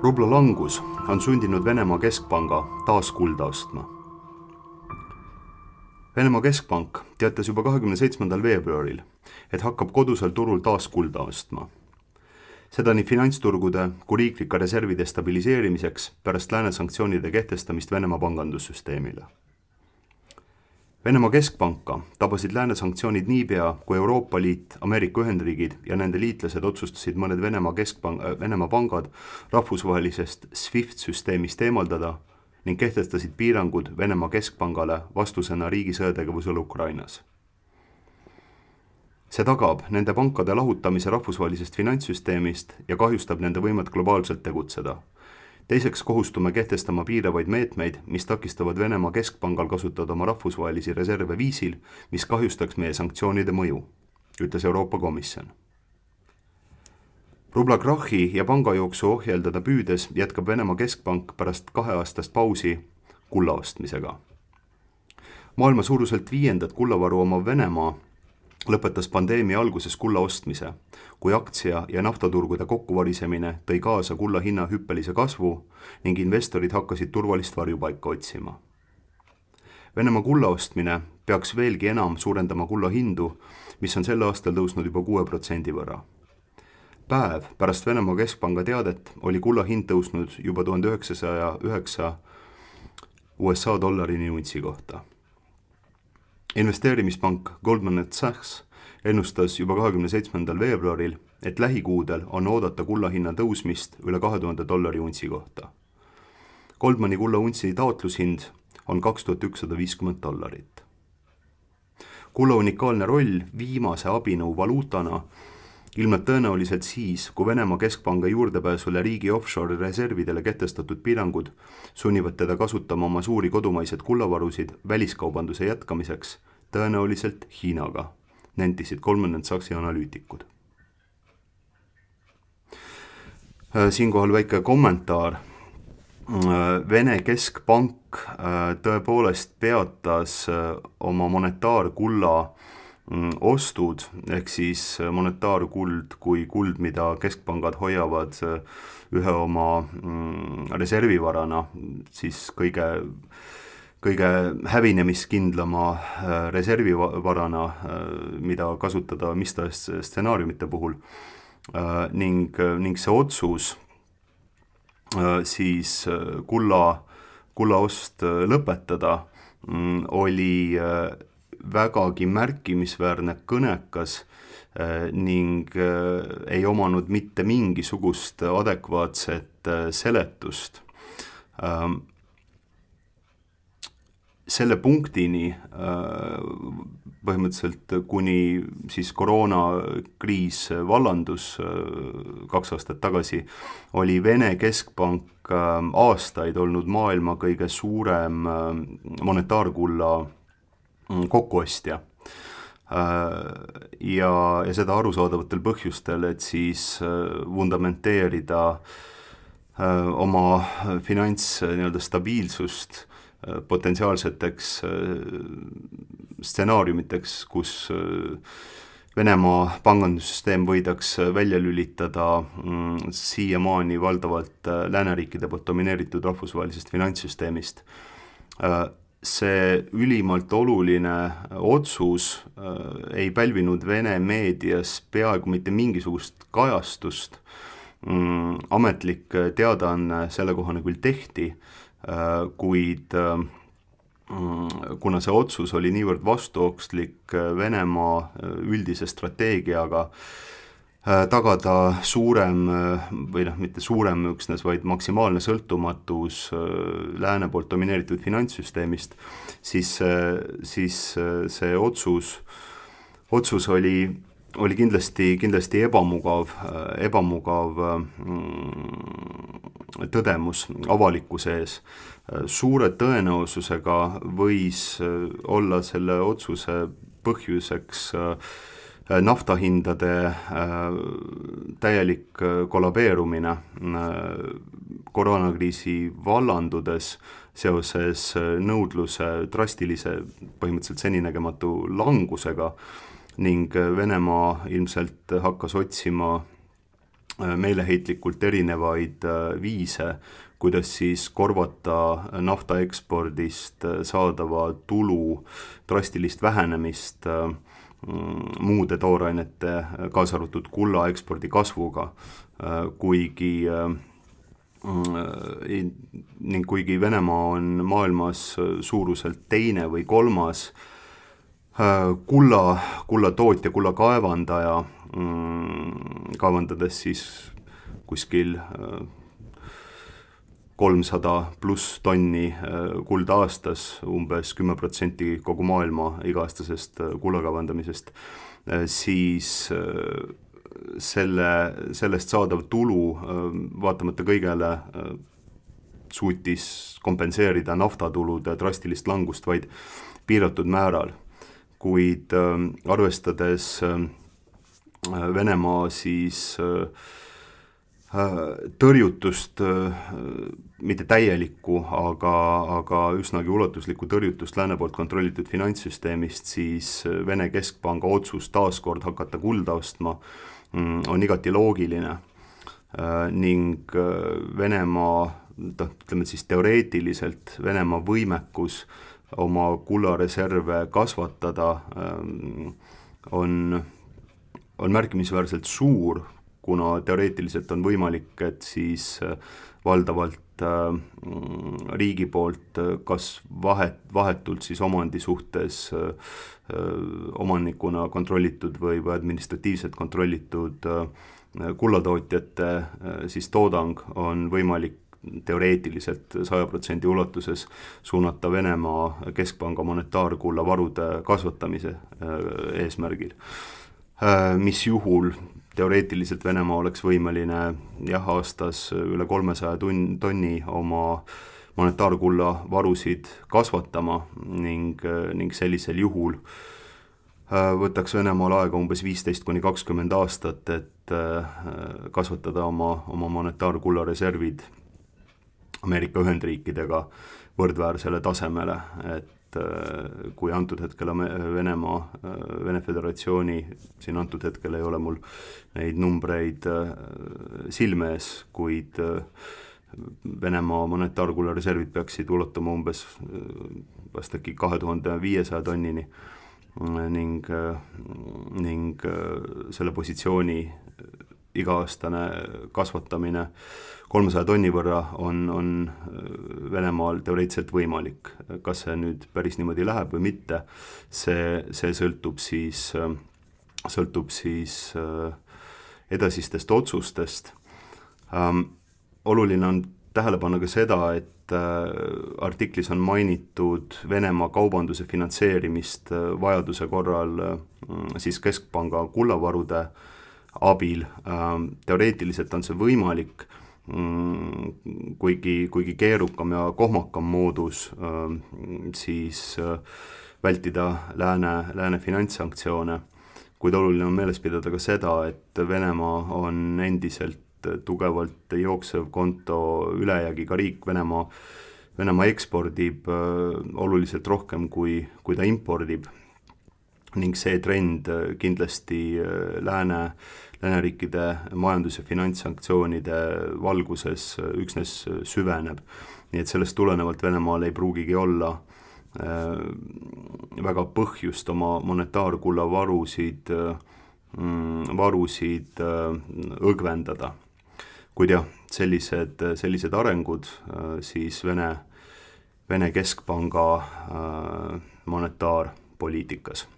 Rubla langus on sundinud Venemaa keskpanga taas kulda ostma. Venemaa keskpank teatas juba 27. veebruaril, et hakkab kodusel turul taas kulda ostma. Seda nii finantsturgude kui riiklike reservide stabiliseerimiseks pärast lääne sanktsioonide kehtestamist Venemaa pangandussüsteemile. Venemaa keskpanka tabasid lääne sanktsioonid niipea, kui Euroopa Liit, Ameerika Ühendriigid ja nende liitlased otsustasid mõned Venemaa pangad rahvusvahelisest SWIFT-süsteemist eemaldada ning kehtestasid piirangud Venemaa keskpangale vastusena riigi sõjategevusele Ukrainas. See tagab nende pankade lahutamise rahvusvahelisest finantssüsteemist ja kahjustab nende võimet globaalselt tegutseda. Teiseks kohustume kehtestama piiravaid meetmeid, mis takistavad Venemaa keskpangal kasutada oma rahvusvahelisi reserve viisil, mis kahjustaks meie sanktsioonide mõju, ütles Euroopa Komisjon. Rubla krahhi ja pangajooksu ohjeldada püüdes jätkab Venemaa keskpank pärast 2-aastast pausi kulla ostmisega. Maailma suuruselt 5. kullavaru omav Venemaa lõpetas pandeemia alguses kulla ostmise, kui aktsia- ja naftaturgude kokkuvarisemine tõi kaasa kulla hinna hüppelise kasvu ning investorid hakkasid turvalist varjupaika otsima. Venemaa kulla ostmine peaks veelgi enam suurendama kulla hindu, mis on sel aastal tõusnud juba 6% võrra. Päev pärast Venemaa keskpanga teadet oli kulla hind tõusnud juba 1909 USA dollarini untsi kohta. Investeerimispank Goldman Sachs ennustas juba 27. veebruaril, et lähikuudel on oodata kulla hinna tõusmist üle $2000 untsi kohta. Goldmani kulla untsi taotlushind on $2150. Kulla unikaalne roll viimase abinõu valuutana ilmneb tõenäoliselt siis, kui Venemaa keskpanga juurdepääsule riigi offshore reservidele kehtestatud piirangud sunnivad teda kasutama oma suuri kodumaised kullavarusid väliskaubanduse jätkamiseks, tõenäoliselt Hiinaga, nentisid Goldman Sachsi analüütikud. Siinkohal väike kommentaar. Vene keskpank tõepoolest peatas oma monetaarkulla ostud, ehk siis monetaarkuld kui kuld, mida keskpangad hoiavad ühe oma reservivarana, siis kõige hävinemiskindlama reservivarana, mida kasutada mis tahes stsenaariumite puhul. Ning see otsus siis kulla ost lõpetada oli vägagi märkimisväärne kõnekas ning ei omanud mitte mingisugust adekvaatset seletust. Selle punktini põhimõtteliselt kuni siis koroonakriis vallandus 2 aastat tagasi, oli Vene keskpank aastaid olnud maailma kõige suurem monetaarkulla kokkuostja. Ja seda arusaadavatel põhjustel, et siis vundamenteerida oma stabiilsust potentsiaalseteks stsenaariumiteks, kus Venemaa pangandussüsteem võidaks välja lülitada siiamaani valdavalt lääneriikide poolt domineeritud rahvusvahelisest finantssüsteemist. See ülimalt oluline otsus ei pälvinud Vene meedias peaaegu mitte mingisugust kajastust. Ametlik teadaanne sellekohane küll tehti, kuid kuna see otsus oli niivõrd vastuokslik Venemaa üldise strateegiaga tagada suurem või mitte suurem üksnes, vaid maksimaalne sõltumatus lääne poolt domineeritud finantssüsteemist, siis see otsus oli kindlasti ebamugav tõdemus avalikkuse ees. Suure tõenäosusega võis olla selle otsuse põhjuseks naftahindade täielik kollabeerumine koroonakriisi vallandudes seoses nõudluse drastilise, põhimõtteliselt seninägematu langusega ning Venemaa ilmselt hakkas otsima meeleheitlikult erinevaid viise, kuidas siis korvata nafta ekspordist saadava tulu drastilist vähenemist muude toorainete, kaasa arvatud kulla ekspordi kasvuga, kuigi Venemaa on maailmas suuruselt teine või kolmas kulla tootja, kulla kaevandaja, kaevandades siis kuskil 300 pluss tonni kulda aastas, umbes 10% kogu maailma iga-aastasest kulla kaevandamisest, siis sellest saadav tulu vaatamata kõigele suutis kompenseerida naftatulude drastilist langust vaid piiratud määral. Kuid arvestades Venemaa siis tõrjutust, mitte täielikku, aga üsnagi ulatuslikku tõrjutust lääne poolt kontrollitud finantssüsteemist, siis Vene keskpanga otsus taaskord hakata kulda ostma on igati loogiline ning Venemaa, ütleme siis teoreetiliselt Venemaa võimekus oma kullareserve kasvatada on märkimisväärselt suur, kuna teoreetiliselt on võimalik, et siis valdavalt riigi poolt kas vahetult siis omandi suhtes omanikuna kontrollitud või administratiivselt kontrollitud kullatootjate siis toodang on võimalik teoreetiliselt 100% ulatuses suunata Venemaa keskpanga monetaarkulla varude kasvatamise eesmärgil, mis juhul teoreetiliselt Venemaa oleks võimeline aastas üle 300 tonni oma monetaarkulla varusid kasvatama ning sellisel juhul võtaks Venemaal aega umbes 15–20 aastat, et kasvatada oma monetaarkulla reservid Ameerika Ühendriikidega võrdväärsele tasemele, et kui antud hetkel Vene Föderatsiooni, siin antud hetkel ei ole mul neid numbreid silme ees, kuid Venemaa monetaarkulla reservid peaksid ulatuma umbes vast äkki 2500 tonnini ning selle positsiooni iga-aastane kasvatamine 300 tonni võrra on Venemaal teoreetiliselt võimalik. Kas see nüüd päris niimoodi läheb või mitte, see sõltub siis edasistest otsustest. Oluline on tähele panna ka seda, et artiklis on mainitud Venemaa kaubanduse finantseerimist vajaduse korral siis keskpanga kullavarude abil. Teoreetiliselt on see võimalik, kuigi keerukam ja kohmakam moodus siis vältida lääne finantssanktsioone, kuid oluline on meeles pidada ka seda, et Venemaa on endiselt tugevalt jooksev konto ülejäägiga riik. Venemaa ekspordib oluliselt rohkem kui ta impordib ning see trend kindlasti lääneriikide majandus- ja finantssanktsioonide valguses üksnes süveneb. Nii et sellest tulenevalt Venemaal ei pruugigi olla väga põhjust oma monetaarkulla varusid õgvendada. Kuid jah, sellised arengud siis Vene keskpanga monetaarpoliitikas.